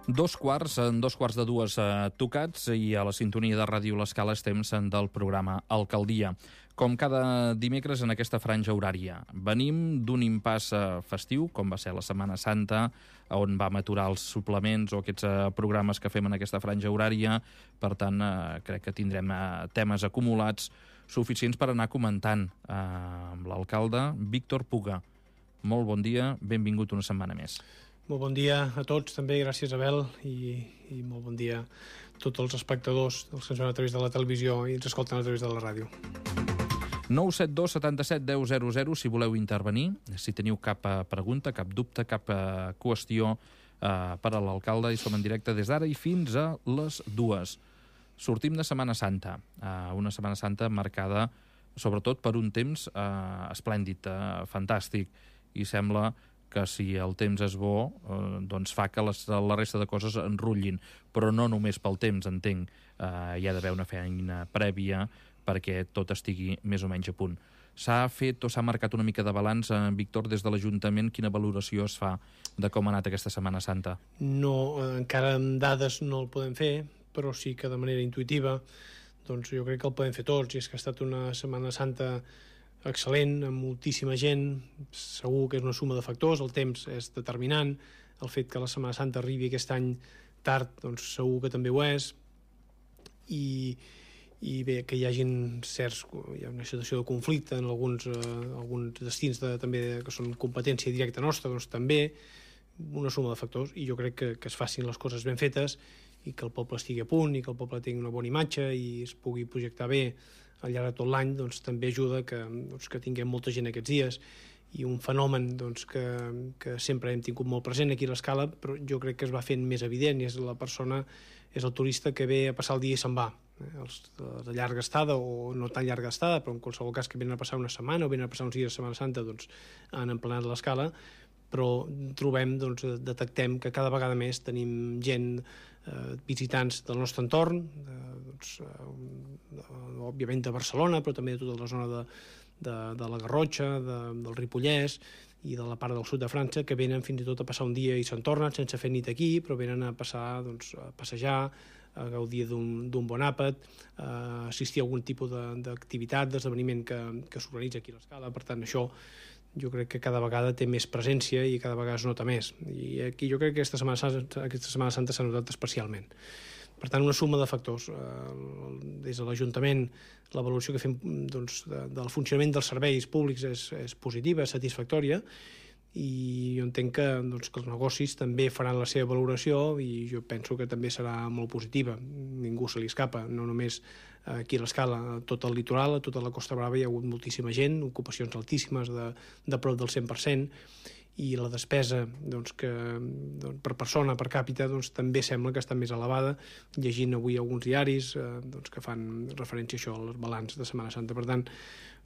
En dos quarts de dues tocats i a la sintonia de Ràdio L'Escala és temps del programa Alcaldia. Com cada dimecres en aquesta franja horària. Venim d'un impàs festiu, com va ser la Setmana Santa, on vam aturar els suplements o aquests programes que fem en aquesta franja horària. Per tant, crec que tindrem temes acumulats suficients per anar comentant amb l'alcalde Víctor Puga. Molt bon dia, benvingut una setmana més. Molt bon dia a tots, també, gràcies Abel, i molt bon dia a tots els espectadors, els que ens veuen a través de la televisió i ens escolten a través de la ràdio. 972 77 10 00 si voleu intervenir, si teniu cap pregunta, cap dubte, cap qüestió per a l'alcalde, i som en directe des d'ara i fins a les 2. Sortim de Setmana Santa, una Setmana Santa marcada sobretot per un temps esplèndid, fantàstic, i sembla que si el temps és bo, doncs fa que la resta de coses enrotllin, però no només pel temps, entenc. Hi ha d'haver una feina prèvia perquè tot estigui més o menys a punt. S'ha fet o s'ha marcat una mica de balanç, Víctor, des de l'Ajuntament? Quina valoració es fa de com ha anat aquesta Setmana Santa? No, encara amb dades no el podem fer, però sí que de manera intuïtiva, doncs jo crec que el podem fer tots, i és que ha estat una Setmana Santa excel·lent, amb moltíssima gent. Segur que és una suma de factors, el temps és determinant, el fet que la Setmana Santa arribi aquest any tard, doncs segur que també ho és, i bé, que hi ha una situació de conflicte en alguns destins també que són competència directa nostra, doncs també una suma de factors, i jo crec que es facin les coses ben fetes i que el poble estigui a punt i que el poble tingui una bona imatge i es pugui projectar bé al llarg de tot l'any, doncs també ajuda que tinguem molta gent aquests dies. I un fenomen doncs, que sempre hem tingut molt present aquí a l'Escala, però jo crec que es va fent més evident, i és el turista que ve a passar el dia i se'n va. Els de llarga estada o no tan llarga estada, però en qualsevol cas que venen a passar una setmana o venen a passar uns dies de Setmana Santa, doncs han emplenat l'Escala, però detectem que cada vegada més tenim gent, visitants del nostre entorn, òbviament de Barcelona, però també de tota la zona de la Garrotxa, del Ripollès i de la part del sud de França, que venen fins i tot a passar un dia i se'n tornen sense fer nit aquí, però venen a passar, a passejar, a gaudir d'un bon àpat, a assistir a algun tipus d'activitat, d'esdeveniment que s'organitza aquí a l'Escala. Per tant, això jo crec que cada vegada té més presència i cada vegada es nota més, i aquí jo crec que aquesta Setmana Santa s'ha notat especialment. Per tant, una suma de factors. Des de l'Ajuntament, la valoració que fem del funcionament dels serveis públics és positiva, és satisfactòria, i jo entenc que els negocis també faran la seva valoració, i jo penso que també serà molt positiva. Ningú se li escapa, no només aquí a l'Escala, a tot el litoral, a tota la Costa Brava hi ha hagut moltíssima gent, ocupacions altíssimes de prop del 100%, i la despesa per persona, per càpita, també sembla que està més elevada, llegint avui alguns diaris que fan referència a això, al balanç de Setmana Santa. Per tant,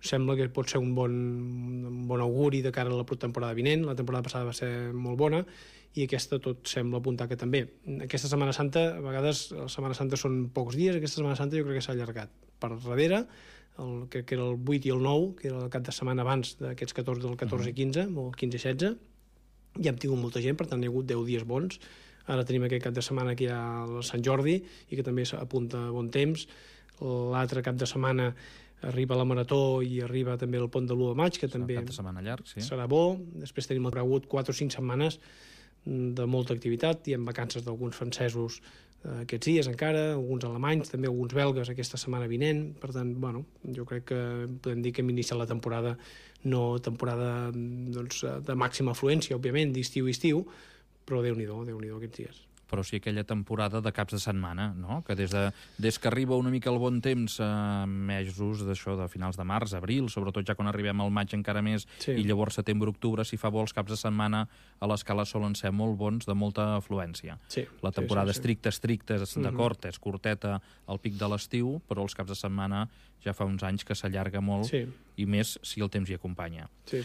sembla que pot ser un bon auguri de cara a la temporada vinent. La temporada passada va ser molt bona i aquesta tot sembla apuntar que també. Aquesta Setmana Santa, a vegades la Setmana Santa són pocs dies, aquesta Setmana Santa jo crec que s'ha allargat per darrere, que era el 8 i el 9, que era el cap de setmana abans d'aquests 14, del 14 i 15, o el 15 i 16, ja hem tingut molta gent, per tant hi ha hagut 10 dies bons. Ara tenim aquest cap de setmana que hi ha el Sant Jordi i que també apunta bon temps. L'altre cap de setmana arriba la Marató i arriba també el pont de l'1 de maig, que també cap de setmana llarg, sí. Serà bo. Després tenim hagut 4 o 5 setmanes de molta activitat, i amb vacances d'alguns francesos aquests dies encara, alguns alemanys, també alguns belgues aquesta setmana vinent. Per tant, jo crec que podem dir que hem iniciat la temporada, no temporada de màxima afluència, òbviament, d'estiu, però Déu-n'hi-do aquests dies. Però sí aquella temporada de caps de setmana, no? Que des que arriba una mica el bon temps, mesos d'això, de finals de març, abril, sobretot ja quan arribem al maig encara més, sí. I llavors setembre, octubre, si fa bo, els caps de setmana a l'Escala solen ser molt bons, de molta afluència. Sí, la temporada estricta, d'acord, és curteta al pic de l'estiu, però els caps de setmana ja fa uns anys que s'allarga molt, sí. I més si el temps hi acompanya. Sí.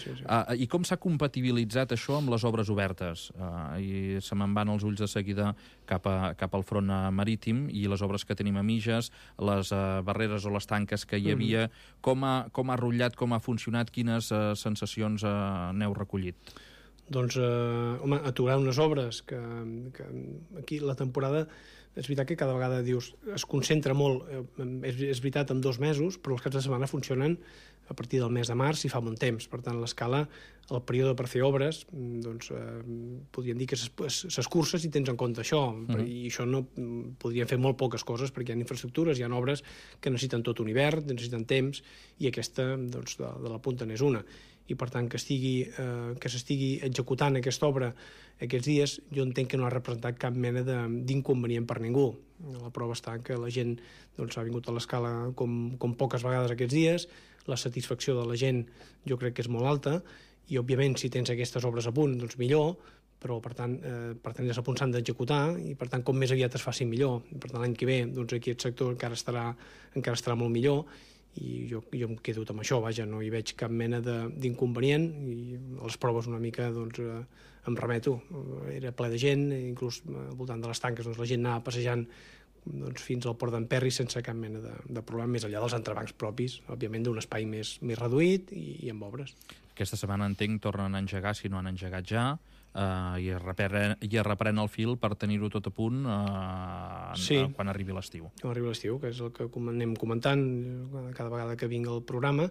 I com s'ha compatibilitzat això amb les obres obertes? I se me'n van els ulls de seguida cap al front marítim, i les obres que tenim a mitges, les barreres o les tanques que hi havia, com ha rotllat, com ha funcionat, quines sensacions n'heu recollit? Doncs, home, aturar unes obres que aquí la temporada, és veritat que cada vegada dius, es concentra molt, és veritat, en 2 mesos, però els caps de setmana funcionen a partir del mes de març i fa bon temps. Per tant, l'escala, el període per fer obres, doncs, podríem dir que s'escurça si tens en compte això. I això no podrien fer molt poques coses, perquè hi ha infraestructures, hi ha obres que necessiten tot un hivern, necessiten temps, i aquesta, doncs, de la punta n'és una. I, per tant, que s'estigui executant aquesta obra aquests dies, jo entenc que no ha representat cap mena d'inconvenient per ningú. La prova està que la gent ha vingut a l'escala com poques vegades aquests dies, la satisfacció de la gent jo crec que és molt alta, i, òbviament, si tens aquestes obres a punt, doncs millor, però, per tant, a punt s'han d'executar, i, per tant, com més aviat es faci millor. Per tant, l'any que ve, aquest sector encara estarà molt millor, i jo em quedo amb això, vaja, no hi veig cap mena d'inconvenient, i a les proves una mica em remeto. Era ple de gent, inclús al voltant de les tanques la gent anava passejant fins al port d'Emperri sense cap mena de problema, més enllà dels entrebancs propis, òbviament d'un espai més reduït i amb obres. Aquesta setmana, entenc, tornen a engegar, si no han engegat ja, i es reprèn el fil per tenir-ho tot a punt quan arribi l'estiu. Quan arribi l'estiu, que és el que anem comentant cada vegada que vinc al programa,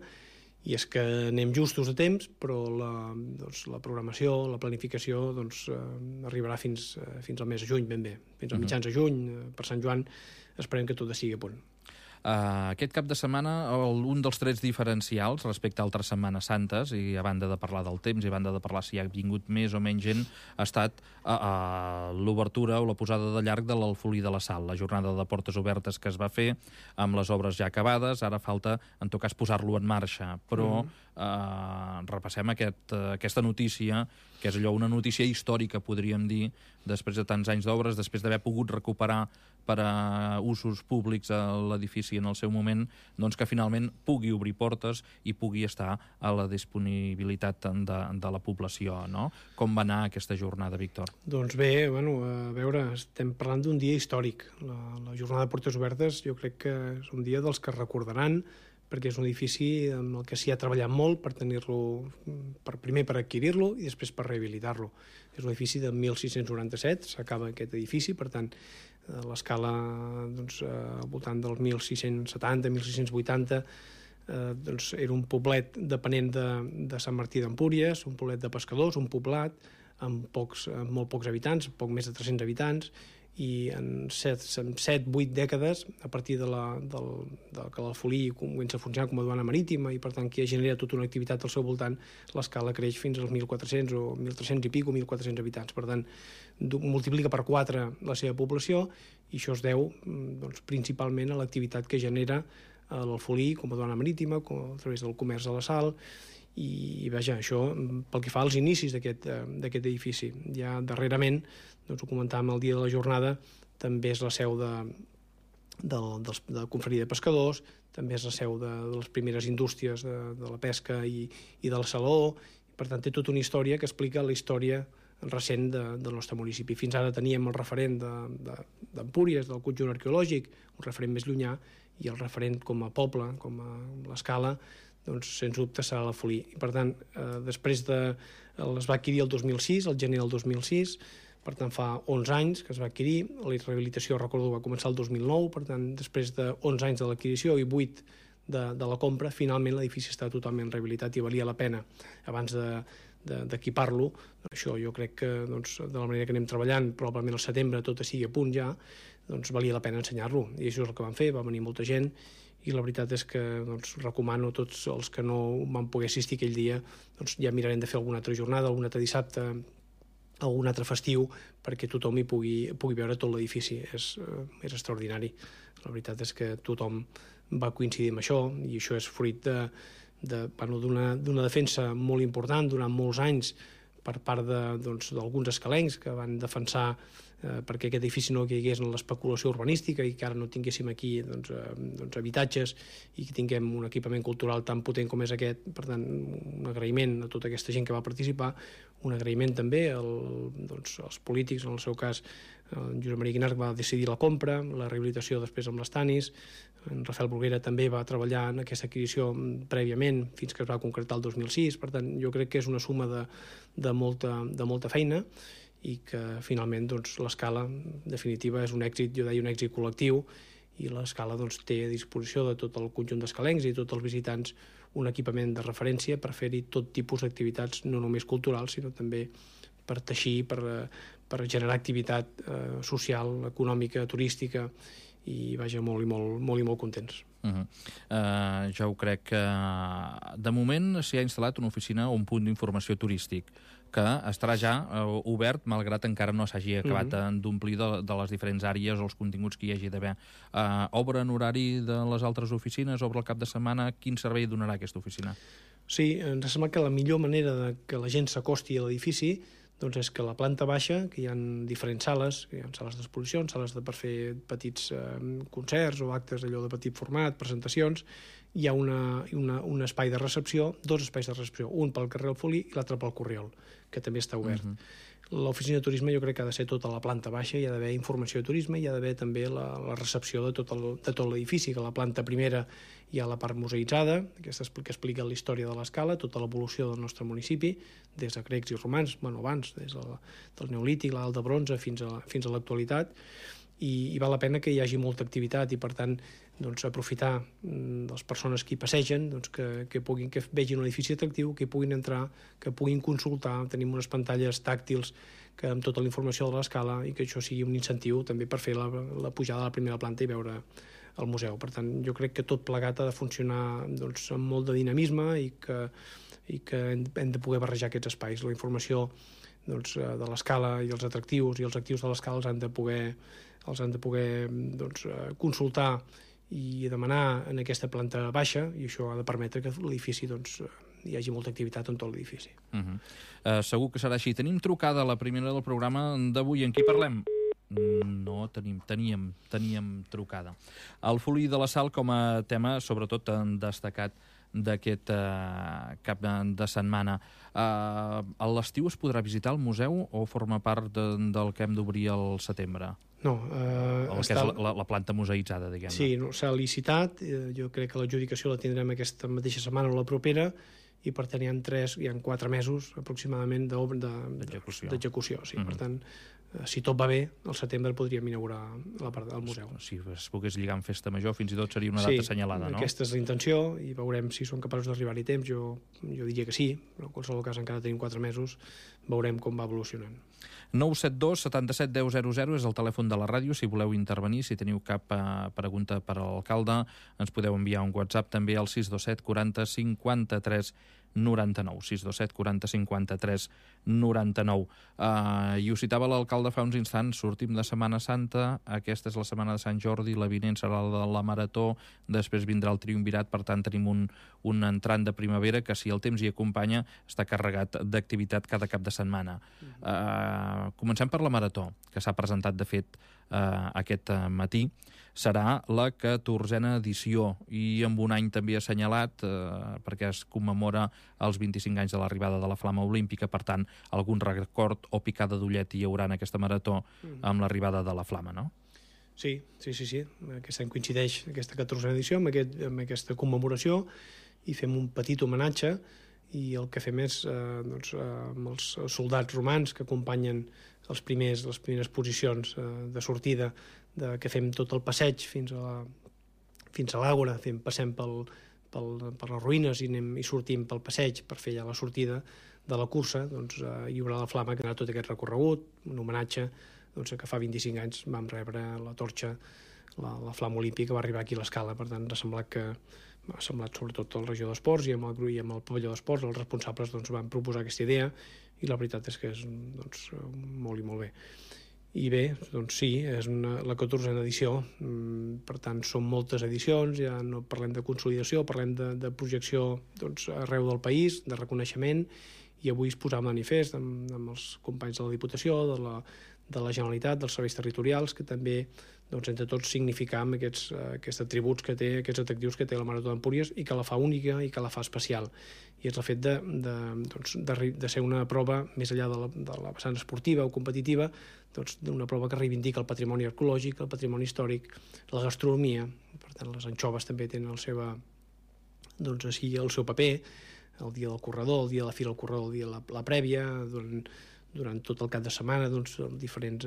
i és que anem justos a temps, però la programació, la planificació arribarà fins al mes de juny, ben bé. Fins a mitjans de juny, per Sant Joan, esperem que tot estigui a punt. Aquest cap de setmana, un dels trets diferencials respecte a altres Setmanes Santes, i a banda de parlar del temps i a banda de parlar si ha vingut més o menys gent, ha estat l'obertura o la posada de llarg de l'Alfolí de la Sal, la jornada de portes obertes que es va fer amb les obres ja acabades. Ara falta, en tot cas, posar-lo en marxa, però repassem aquesta notícia, que és allò, una notícia històrica, podríem dir, després de tants anys d'obres, després d'haver pogut recuperar per a usos públics a l'edifici en el seu moment, doncs que finalment pugui obrir portes i pugui estar a la disponibilitat de la població, no? Com va anar aquesta jornada, Víctor? Doncs bé, a veure, estem parlant d'un dia històric. La jornada de portes obertes jo crec que és un dia dels que recordaran, perquè és un edifici amb el que s'hi ha treballat molt per tenir-lo, primer per adquirir-lo i després per rehabilitar-lo. És un edifici de 1697, s'acaba aquest edifici, per tant, l'escala al voltant dels 1670, 1680, era un poblet depenent de Sant Martí d'Empúries, un poblet de pescadors, un poblat amb molt pocs habitants, poc més de 300 habitants, i en 7-8 dècades, a partir de que l'Alfolí comença a funcionar com a duana marítima i, per tant, que genera tota una activitat al seu voltant, l'escala creix fins als 1.400 o 1.300 i pico, 1.400 habitants. Per tant, multiplica per 4 la seva població, i això es deu principalment a l'activitat que genera l'Alfolí com a duana marítima, a través del comerç de la sal, i vaja, això pel que fa als inicis d'aquest edifici. Ja darrerament, ho comentàvem el dia de la jornada, també és la seu de la confraria de pescadors, també és la seu de les primeres indústries de la pesca i de la saló. Per tant, té tota una història que explica la història recent del nostre municipi. Fins ara teníem el referent d'Empúries, del conjunt arqueològic, un referent més llunyà, i el referent com a poble, com a l'escala, doncs, sens dubte, serà l'Alfolí. I, per tant, després es va adquirir el 2006, el gener del 2006, per tant, fa 11 anys que es va adquirir. La rehabilitació, recordo, va començar el 2009, per tant, després de 11 anys de l'adquisició i 8 de la compra, finalment l'edifici està totalment rehabilitat i valia la pena, abans d'equipar-lo. Això jo crec que, de la manera que anem treballant, probablement al setembre tot sigui a punt ja, doncs valia la pena ensenyar-lo. I això és el que vam fer, va venir molta gent, i la veritat és que recomano a tots els que no van poder assistir aquell dia, ja mirarem de fer alguna altra jornada, algun altre dissabte, algun altre festiu, perquè tothom hi pugui veure tot l'edifici. És extraordinari. La veritat és que tothom va coincidir amb això, i això és fruit d'una defensa molt important durant molts anys per part d'alguns escalencs que van defensar perquè aquest edifici no caigués en l'especulació urbanística i que ara no tinguéssim aquí habitatges i que tinguem un equipament cultural tan potent com és aquest. Per tant, un agraïment a tota aquesta gent que va participar, un agraïment també als polítics, en el seu cas en Josep Maria Guinart va decidir la compra, la rehabilitació després amb les Tanis, en Rafael Bruguera també va treballar en aquesta adquisició prèviament fins que es va concretar el 2006. Per tant, jo crec que és una suma de molta feina i que finalment l'escala en definitiva és un èxit, jo deia un èxit col·lectiu, i l'escala té a disposició de tot el conjunt d'escalencs i tots els visitants un equipament de referència per fer-hi tot tipus d'activitats, no només culturals, sinó també per teixir, per generar activitat social, econòmica, turística, i vaja, molt contents. Jo ho crec que de moment s'hi ha instal·lat una oficina o un punt d'informació turístic que estarà ja obert, malgrat encara no s'hagi acabat d'omplir de les diferents àrees o els continguts que hi hagi d'haver. Obre en horari de les altres oficines, obre el cap de setmana? Quin servei donarà aquesta oficina? Sí, ens sembla que la millor manera que la gent s'acosti a l'edifici és que a la planta baixa, que hi ha diferents sales, hi ha sales d'exposicions, sales per fer petits concerts o actes allò de petit format, presentacions, hi ha un espai de recepció, dos espais de recepció, un pel carrer Alfolí i l'altre pel Corriol, que també està obert. L'oficina de turisme jo crec que ha de ser tota la planta baixa, hi ha d'haver informació de turisme, hi ha d'haver també la recepció de tot l'edifici, que a la planta primera hi ha la part museïtzada, aquesta que explica la història de l'escala, tota l'evolució del nostre municipi, des de grecs i romans, abans, des del Neolític, l'Edat del Bronze, fins a l'actualitat, i val la pena que hi hagi molta activitat i, per tant, aprofitar les persones que hi passegen, que vegin un edifici atractiu, que hi puguin entrar, que puguin consultar. Tenim unes pantalles tàctils amb tota la informació de l'escala i que això sigui un incentiu també per fer la pujada a la primera planta i veure el museu. Per tant, jo crec que tot plegat ha de funcionar amb molt de dinamisme i que hem de poder barrejar aquests espais. La informació de l'escala i els atractius i els actius de l'escala els han de poder consultar i demanar en aquesta planta baixa, i això ha de permetre que l'edifici hi hagi molta activitat en tot l'edifici. Segur que serà així. Tenim trucada la primera del programa d'avui. En qui parlem? No, teníem trucada. El Folí de la Sal com a tema, sobretot destacat d'aquest cap de setmana. A l'estiu es podrà visitar el museu o forma part del que hem d'obrir al setembre? No. El que és la planta museïtzada, diguem-ne. Sí, s'ha licitat. Jo crec que l'adjudicació la tindrem aquesta mateixa setmana o la propera, i per tant hi ha 4 mesos aproximadament d'execució. Sí. Per tant, si tot va bé, al setembre podríem inaugurar la part del museu. Si es pogués lligar amb festa major, fins i tot seria una data assenyalada, no? Sí, aquesta és la intenció, i veurem si som capaços d'arribar-hi a temps. Jo diria que sí, però en qualsevol cas encara tenim 4 mesos, veurem com va evolucionant. 972 77 10 00 és el telèfon de la ràdio. Si voleu intervenir, si teniu cap pregunta per a l'alcalde, ens podeu enviar un WhatsApp també al 627 40 53 99. 627 40 53 99. I ho citava l'alcalde fa uns instants, sortim de Setmana Santa, aquesta és la setmana de Sant Jordi, la vinent serà la de la Marató, després vindrà el Triumvirat, per tant tenim un entrant de primavera que, si el temps hi acompanya, està carregat d'activitat cada cap de setmana. Comencem per la Marató, que s'ha presentat, de fet, aquest matí. Serà la 14a edició i amb un any també assenyalat perquè es commemora els 25 anys de l'arribada de la Flama Olímpica. Per tant, algun record o picada d'ullet hi haurà en aquesta marató amb l'arribada de la Flama, no? Sí. Aquest any coincideix aquesta 14a edició amb aquesta commemoració i fem un petit homenatge, i el que fem és amb els soldats romans que acompanyen les primeres posicions de sortida, que fem tot el passeig fins a l'Àgora, passem per les ruïnes i sortim pel passeig per fer ja la sortida de la cursa. Hi haurà la Flama que farà tot aquest recorregut, un homenatge que fa 25 anys vam rebre la torxa, la Flama Olímpica va arribar aquí a l'Escala. Per tant, m'ha semblat sobretot a la regió d'esports i amb el pavelló d'esports, els responsables van proposar aquesta idea, i la veritat és que és molt i molt bé. I bé, sí, és la 14a edició, per tant són moltes edicions, ja no parlem de consolidació, parlem de projecció arreu del país, de reconeixement, i avui es posava manifest amb els companys de la Diputació, de la Generalitat, dels serveis territorials, que també doncs, entre tots significam aquests atributs que té, aquests atractius que té la Marató d'Empúries i que la fa única i que la fa especial. I és el fet de ser una prova, més enllà de la vessant esportiva o competitiva, doncs, una prova que reivindica el patrimoni arqueològic, el patrimoni històric, la gastronomia. Per tant, les anxoves també tenen el seu paper, el dia del corredor, el dia de la fira del corredor, el dia de la prèvia, durant tot el cap de setmana, diferents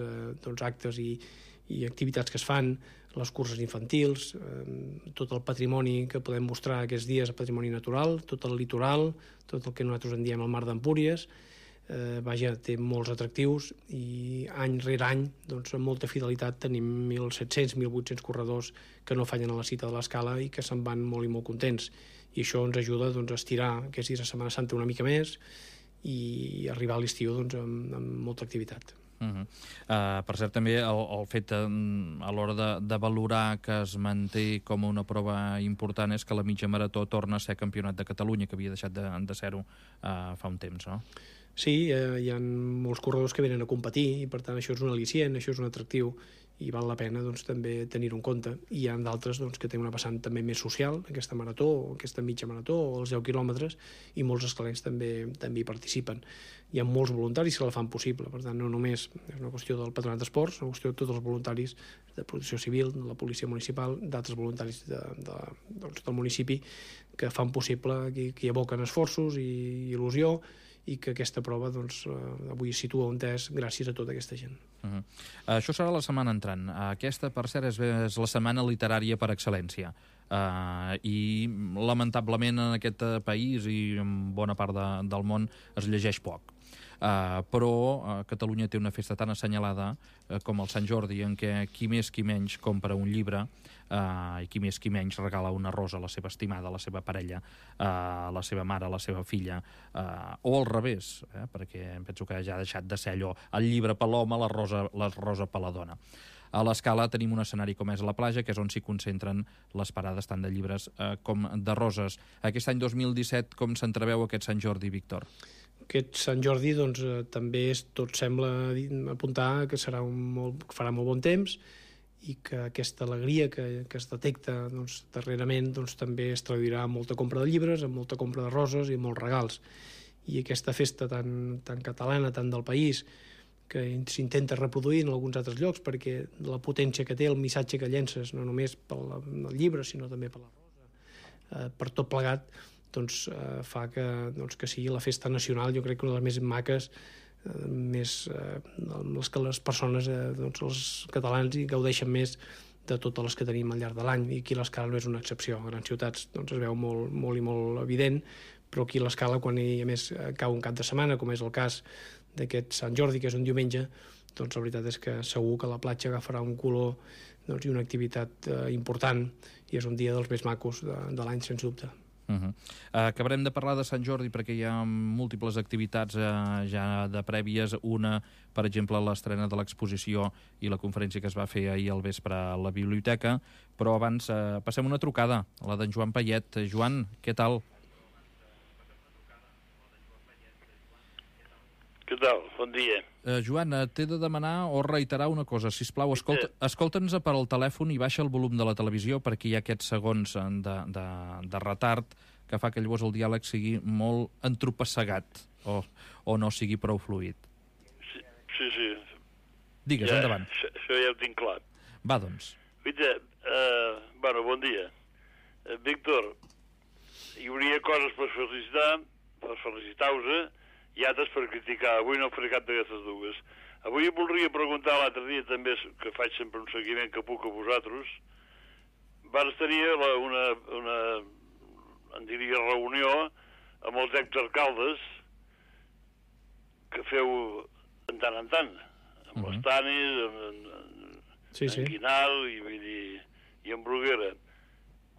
actes i activitats que es fan, les curses infantils, tot el patrimoni que podem mostrar aquests dies, el patrimoni natural, tot el litoral, tot el que nosaltres en diem el mar d'Empúries, té molts atractius i any rere any, amb molta fidelitat, tenim 1.700, 1.800 corredors que no fallen a la cita de l'Escala i que se'n van molt i molt contents. I això ens ajuda a estirar aquests dies de Setmana Santa una mica més i arribar a l'estiu amb molta activitat. Per cert, també el fet a l'hora de valorar que es manté com una prova important és que la mitja marató torna a ser campionat de Catalunya, que havia deixat de ser-ho fa un temps, no? Sí, hi ha molts corredors que venen a competir i per tant això és un al·licient, això és un atractiu i val la pena també tenir-ho en compte. I hi ha d'altres que tenen una vessant també més social, aquesta marató, aquesta mitja marató o els 10 quilòmetres, i molts escalents també hi participen. Hi ha molts voluntaris que la fan possible, per tant no només és una qüestió del Patronat d'Esports, és una qüestió de tots els voluntaris de Protecció Civil, de la Policia Municipal, d'altres voluntaris del municipi que fan possible, que hi aboquen esforços i il·lusió, i que aquesta prova avui es situa on és gràcies a tota aquesta gent. Això serà la setmana entrant. Aquesta, per cert, és la setmana literària per excel·lència. I lamentablement en aquest país i en bona part del món es llegeix poc. Però Catalunya té una festa tan assenyalada com el Sant Jordi, en què qui més qui menys compra un llibre i qui més qui menys regala una rosa a la seva estimada, a la seva parella, a la seva mare, a la seva filla, o al revés, perquè penso que ja ha deixat de ser allò, el llibre per l'home, la rosa per la dona. A l'Escala tenim un escenari com és la platja, que és on s'hi concentren les parades tant de llibres com de roses. Aquest any 2017, com s'entreveu aquest Sant Jordi, Víctor? Aquest Sant Jordi també tot sembla apuntar que farà molt bon temps i que aquesta alegria que es detecta darrerament també es traduirà en molta compra de llibres, en molta compra de roses i en molts regals. I aquesta festa tan catalana, tan del país, que s'intenta reproduir en alguns altres llocs perquè la potència que té, el missatge que llences, no només pel llibre, sinó també per la rosa, per tot plegat, fa que sigui la festa nacional, jo crec que una de les més maques, les que les persones, els catalans, hi gaudeixen més de totes les que tenim al llarg de l'any, i aquí l'Escala no és una excepció. A grans ciutats es veu molt i molt evident, però aquí l'Escala, quan a més cau un cap de setmana, com és el cas d'aquest Sant Jordi, que és un diumenge, la veritat és que segur que la platja agafarà un color i una activitat important, i és un dia dels més macos de l'any, sens dubte. Acabarem de parlar de Sant Jordi perquè hi ha múltiples activitats ja de prèvies. Una, per exemple, l'estrena de l'exposició i la conferència que es va fer ahir al vespre a la biblioteca, però abans passem una trucada, la d'en Joan Payet. Joan, què tal? Què tal? Bon dia. Joan, t'he de demanar o reiterar una cosa. Sisplau, escolta'ns per al telèfon i baixa el volum de la televisió perquè hi ha aquests segons de retard que fa que llavors el diàleg sigui molt entropessegat o no sigui prou fluid. Sí. Digues, endavant. Això ja ho tinc clar. Va, doncs. Bon dia. Víctor, hi hauria coses per felicitar-vos i altres per criticar. Avui no faré cap d'aquestes dues. Avui voldria preguntar l'altre dia també, que faig sempre un seguiment que puc a vosaltres. Vas tenir una reunió amb els exalcaldes que feu en tant, amb les Tanis, en Guinal i en Bruguera.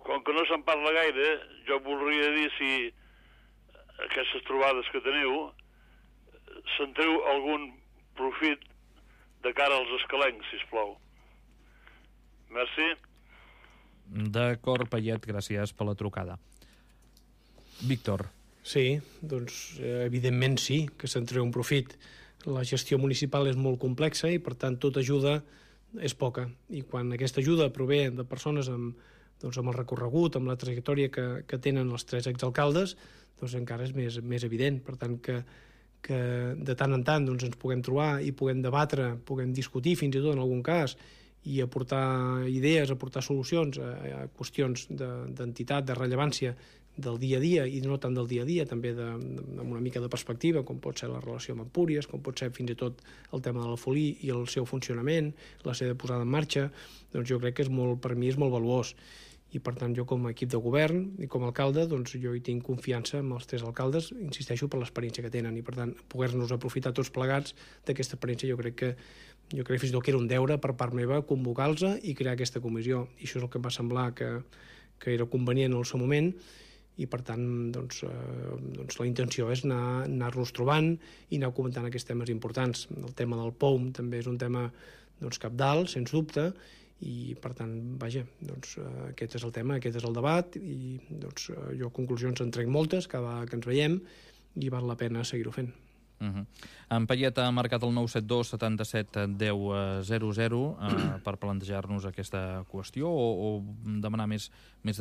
Com que no se'n parla gaire, jo voldria dir si aquestes trobades que teniu se'n treu algun profit de cara als escalencs, sisplau. Merci. D'acord, Payet, gràcies per la trucada. Víctor. Sí, evidentment sí, que se'n treu un profit. la gestió municipal és molt complexa i, per tant, tota ajuda és poca. I quan aquesta ajuda prové de persones amb el recorregut, amb la trajectòria que tenen els 3 exalcaldes, doncs encara és més evident. Per tant, que de tant en tant ens puguem trobar i puguem debatre, puguem discutir fins i tot en algun cas, i aportar idees, aportar solucions a qüestions d'entitat, de rellevància del dia a dia, i no tant del dia a dia, també amb una mica de perspectiva, com pot ser la relació amb Empúries, com pot ser fins i tot el tema de l'Alfolí i el seu funcionament, la seva posada en marxa, doncs jo crec que per mi és molt valuós. I, per tant, jo com a equip de govern i com a alcalde, doncs jo hi tinc confiança amb els 3 alcaldes, insisteixo, per l'experiència que tenen, i, per tant, poder-nos aprofitar tots plegats d'aquesta experiència, jo crec que fins i tot que era un deure per part meva convocar-los i crear aquesta comissió. I això és el que em va semblar que era convenient en el seu moment, i, per tant, doncs la intenció és anar-nos trobant i anar comentant aquests temes importants. El tema del POUM també és un tema cabdal, sens dubte, i, per tant, vaja, doncs aquest és el tema, aquest és el debat, i doncs jo conclusions en trec moltes cada vegada que ens veiem, i val la pena seguir-ho fent. En Payet ha marcat el 972 77 10 00 per plantejar-nos aquesta qüestió o demanar més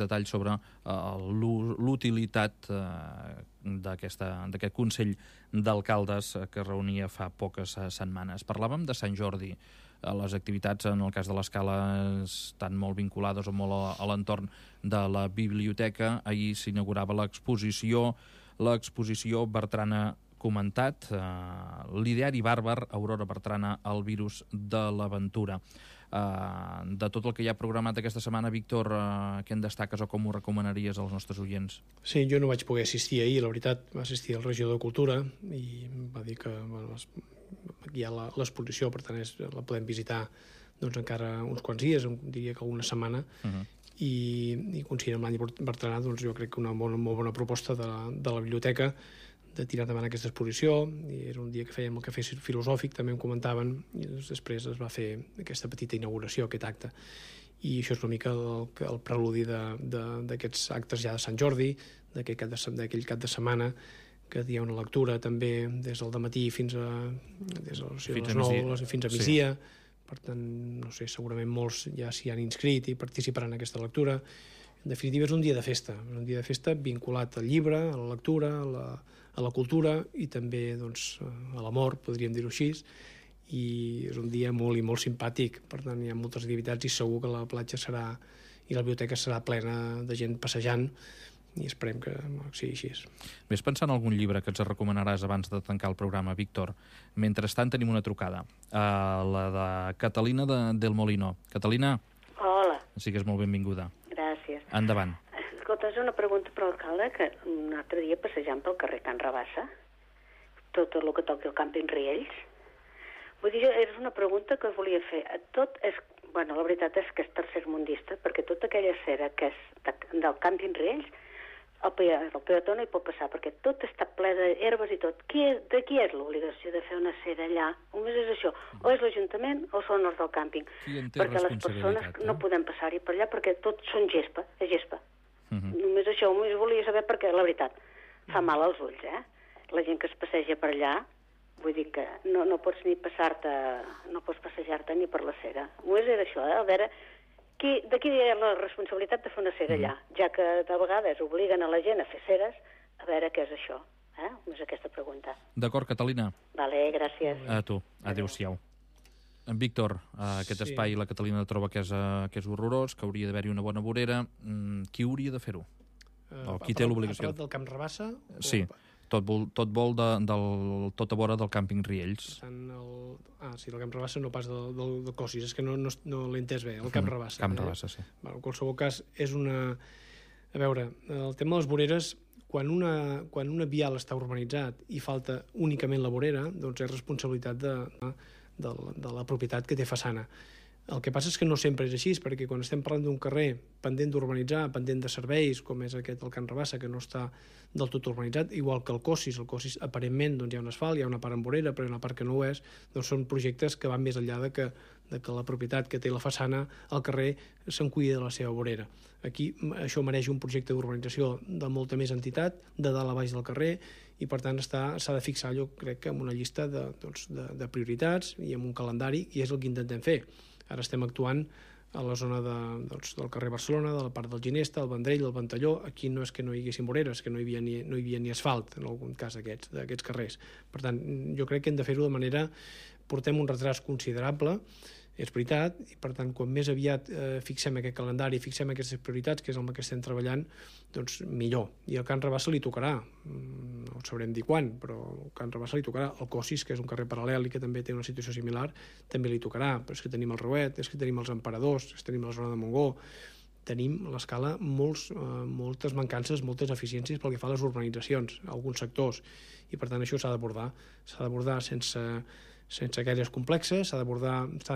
detalls sobre l'utilitat d'aquest Consell d'Alcaldes que es reunia fa poques setmanes. Parlàvem de Sant Jordi. Les activitats, en el cas de l'Escala, estan molt vinculades o molt a l'entorn de la biblioteca. Ahir s'inaugurava l'exposició Bertrana comentat, l'ideari bàrbar, Aurora Bertrana, el virus de l'aventura. De tot el que hi ha programat aquesta setmana, Víctor, què en destaques o com ho recomanaries als nostres oients? Sí, jo no vaig poder assistir ahir, la veritat, va assistir el regidor de Cultura i va dir que aquí hi ha l'exposició, per tant la podem visitar encara uns quants dies, diria que una setmana, i coincidint amb l'any Bertranà, jo crec que una molt bona proposta de la biblioteca de tirar endavant aquesta exposició, i era un dia que fèiem el cafè filosòfic, també em comentaven, i després es va fer aquesta petita inauguració, aquest acte. I això és una mica el preludi d'aquests actes ja de Sant Jordi, d'aquell cap de setmana, que hi ha una lectura també des del dematí fins a les 9, fins a migdia. Per tant, no sé, segurament molts ja s'hi han inscrit i participaran en aquesta lectura. En definitiva, és un dia de festa, vinculat al llibre, a la lectura, a la cultura i també a l'amor, podríem dir-ho així, i és un dia molt i molt simpàtic. Per tant, hi ha moltes activitats i segur que la platja i la biblioteca serà plena de gent passejant, i esperem que sigui així. Ves pensant en algun llibre que ens recomanaràs abans de tancar el programa, Víctor. Mentrestant tenim una trucada, la de Catalina del Molino. Catalina? Hola. Sigues molt benvinguda. Gràcies. Endavant. Escolta, és una pregunta per l'alcalde, que un altre dia passejant pel carrer Can Rabassa, tot el que toqui el càmping Riells, vull dir, és una pregunta que volia fer. Bueno, la veritat és que és tercermundista, perquè tota aquella acera que és del càmping Riells, el peató no hi pot passar, perquè tot està ple d'herbes i tot. De qui és l'obligació de fer una acera allà? Només és això. O és l'Ajuntament o són els del càmping. Perquè les persones no podem passar-hi per allà perquè tot són gespa, és gespa. Només això, només volia saber perquè, la veritat, fa mal als ulls, La gent que es passeja per allà, vull dir que no pots ni no pots passejar-te ni per la cera. Només era això, a veure... De qui hi ha la responsabilitat de fer una cera allà? Ja que de vegades obliguen a la gent a fer ceres, a veure què és això. És aquesta pregunta. D'acord, Catalina. Vale, gràcies. A tu. Adéu-siau. Víctor, aquest espai la Catalina troba que és horrorós, que hauria d'haver-hi una bona vorera. Qui hauria de fer-ho? O qui té l'obligació? Ha parlat del Camp Rabassa? Sí. Tot vol tot a vora del càmping Riells. Sí, el Camp Rabassa no pas del Cosis, és que no l'he entès bé, el Camp Rabassa. Camp Rabassa, sí. En qualsevol cas, és una... A veure, el tema de les voreres, quan una vial està urbanitzat i falta únicament la vorera, doncs és responsabilitat de la propietat que té façana. El que passa és que no sempre és així, perquè quan estem parlant d'un carrer pendent d'urbanitzar, pendent de serveis, com és aquest el Can Rabassa, que no està del tot urbanitzat, igual que el Cossis aparentment doncs, hi ha un asfalt, hi ha una part amb vorera, però hi ha una part que no ho és, doncs són projectes que van més enllà de que la propietat que té la façana al carrer se'n cuida de la seva vorera. Aquí això mereix un projecte d'urbanització de molta més entitat, de dalt a baix del carrer, i per tant s'ha de fixar, jo crec, en una llista de prioritats i en un calendari, i és el que intentem fer. Ara estem actuant a la zona del carrer Barcelona, de la part del Ginesta, el Vendrell, el Ventalló. Aquí no és que no hi haguessin voreres, que no hi havia ni asfalt, en algun cas d'aquests carrers. Per tant, jo crec que hem de fer-ho de manera... Portem un retras considerable, és veritat, i per tant, quan més aviat fixem aquest calendari, fixem aquestes prioritats, que és el que estem treballant, doncs millor. I al Can Rabassa li tocarà, no sabrem dir quan, però al Can Rabassa li tocarà. El Cossis, que és un carrer paral·lel i que també té una situació similar, també li tocarà, però és que tenim el Reuet, és que tenim els Emperadors, és que tenim la zona de Montgó, tenim a l'escala moltes mancances, moltes eficiències pel que fa a les urbanitzacions, a alguns sectors, i per tant això s'ha d'abordar sense gaires complexes, s'ha de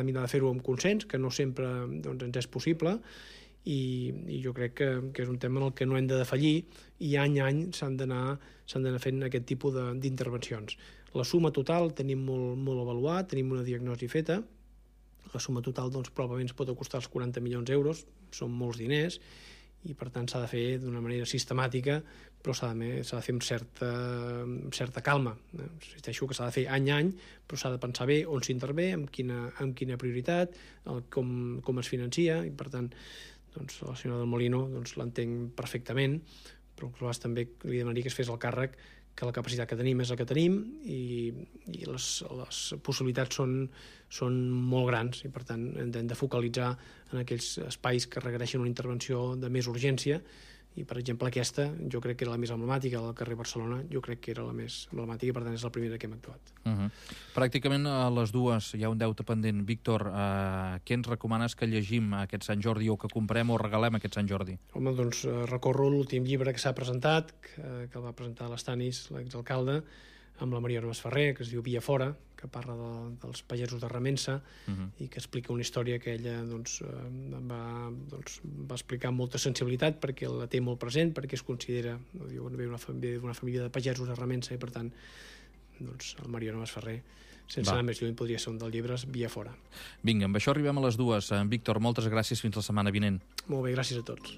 mirar de fer-ho amb consens, que no sempre doncs, ens és possible, i jo crec que és un tema en el que no hem de defallir, i any a any s'han d'anar fent aquest tipus d'intervencions. La suma total tenim molt avaluat, tenim una diagnosi feta, la suma total doncs, probablement ens pot costar els 40 milions d'euros, són molts diners, i per tant s'ha de fer d'una manera sistemàtica, però s'ha de fer amb certa calma. Insisteixo que s'ha de fer any a any, però s'ha de pensar bé on s'intervé, amb quina prioritat, com es financia, i per tant doncs, la senyora del Molino doncs, l'entenc perfectament, però també li demanaria que es fes el càrrec que la capacitat que tenim és la que tenim i les possibilitats són molt grans i per tant hem de focalitzar en aquells espais que requereixen una intervenció de més urgència i per exemple aquesta jo crec que era la més emblemàtica del carrer Barcelona, jo crec que era la més emblemàtica i per tant és la primera que hem actuat. Pràcticament a les dues hi ha un deute pendent. Víctor, què ens recomanes que llegim aquest Sant Jordi o que comprem o regalem aquest Sant Jordi? Home, doncs recorro l'últim llibre que s'ha presentat, que el va presentar l'Estanis, l'exalcalde, amb la Maria Noves Ferrer, que es diu Via Fora, que parla dels pagesos de Remença i que explica una història que ella va explicar amb molta sensibilitat perquè la té molt present, perquè es considera d'una família de pagesos de Remença i per tant el Maria Noves Ferrer sense anar més lluny podria ser un dels llibres Via Fora. Vinga, amb això arribem a les dues. Víctor, moltes gràcies, fins la setmana vinent. Molt bé, gràcies a tots.